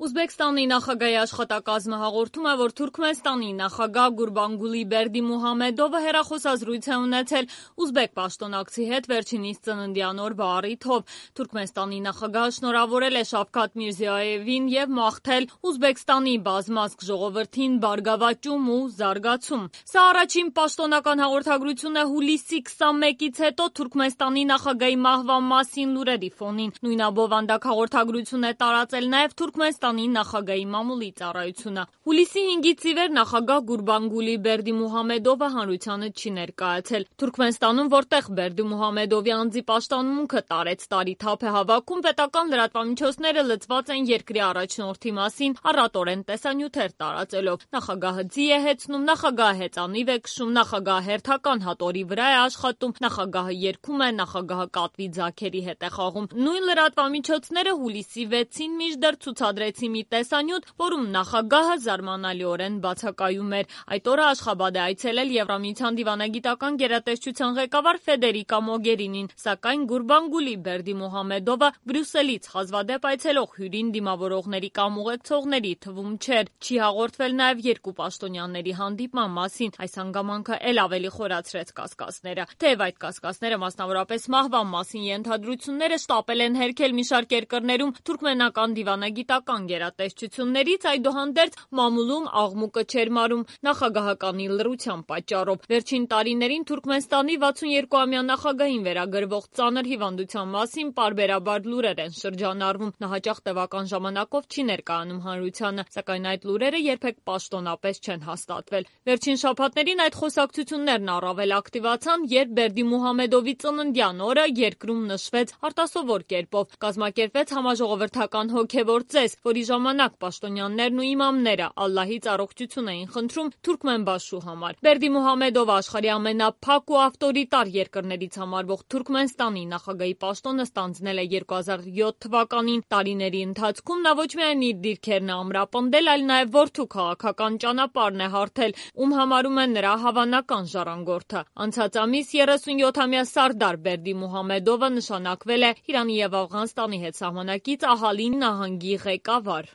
Ուզբեկստանի նախագահի աշխատակազմը հաղորդում է, որ Թուրքմենստանի նախագահ Գուրբանգուլի Բերդիմուհամեդովը հեռախոսազրույց է ունեցել ուզբեկ պաշտոնակցի հետ վերջինիս ծննդյան օրվա առիթով։ Թուրքմենստանի նախագահը շնորհավորել է Շավքաթ Միրզիոևին և մաղթել Ուզբեկստանի բազմազգ ժողովրդին բարգավաճում ու զարգացում։ Սա առաջին պաշտոնական հաղորդագրությունն է հուլիսի 21-ից հետո Թուրքմենստանի նախագահի մահվան մասին լուրերի ֆոնին։ Նույնաբովանդակ հաղորդագրություն է տարածել նաև Թուրքմենստանի նախագահի մամուլի ծառայությունը։ Հուլիսի 5-ից ի վեր նախագահ Գուրբանգուլի Բերդիմուհամեդովը հանրությանը չի ներկայացել։ Թուրքմենստանում, որտեղ Բերդիմուհամեդովի անձի պաշտամունքը տարեց տարի թափ է հավաքում, պետական լրատվամիջոցները լծված են երկրի առաջնորդի մասին առատորեն տեսանյութեր տարածելով։ Նախագահը ձի է հեծնում, նախագահը հեծանիվ է քշում, նախագահը հերթական հատորի վրա է աշխատում, նախագահը երգում է, նախագահը կատվի ձագերի հետ է խաղում։ Նույն լրատվամիջոցները հուլիսի 6-ին մինչդեռ ցուցադրեցին մի տեսանյութ, որում նախագահը զարմանալիորեն բացակայում էր։ Այդ օրը Աշխաբադ է այցելել Եվրամիության դիվանագիտական գերատեսչության ղեկավար Ֆեդերիկա Մոգերինին, սակայն Գուրբանգուլի Բերդիմուհամեդովը Բրյուսելից հազվադեպ այցելող հյուրին դիմավորողների կամ ուղեկցողների թվում չէր։ Չի հաղորդվել նաև երկու պաշտոնյաների հանդիպման մասին։ Այս հանգամանքը էլ ավելի խորացրեց կասկածները։ Թեև այդ կասկածները, մասնավորապես մահվան մասին ենթադրությունները շտապել են հերքել մի շարք երկրներում թուրքմենական դիվանագիտական գերատեսչություններից, այդուհանդերձ մամուլում աղմուկը չէր մարում նախագահականի լռության պատճառով։ Վերջին տարիներին Թուրքմենստանի 62-ամյա նախագահին վերագրվող ծանր հիվանդության մասին պարբերաբար լուրեր են շրջանառվում։ Նա հաճախ տևական ժամանակով չի ներկայանում հանրությանը, սակայն այդ լուրերը երբեք պաշտոնապես չեն հաստատվել։ Վերջին շաբաթներին այդ խոսակցություններն առավել ակտիվացան, երբ Բերդիմուհամեդովի ծննդյան օրը երկրում նշվեց արտասովոր կերպով։ Կազմակերպվեց համաժողովրդական հոգևոր ծես, որի ժամանակ պաշտոնյաներն ու իմամները Ալլահից առողջություն էին խնդրում թուրքմենբաշու համար։ Բերդիմուհամեդովը աշխարհի ամենափակ ու ավտորիտար երկրներից համարվող Թուրքմենստանի նախագահի պաշտոնը ստանձնել է 2007 թվականին։ Տարիների ընթացքում նա ոչ միայն իր դիրքերն է ամրապնդել, այլ նաև որդու քաղաքական ճանապարհն է հարթել, ում համարում է նրա հավանական ժառանգորդը։ Անցած ամիս 37-ամյա Սարդար Բերդիմուհամեդովը նշանակվել է Իրանի և Աֆղանստանի հետ սահմանակից Ահալին նահանգի ղեկավար։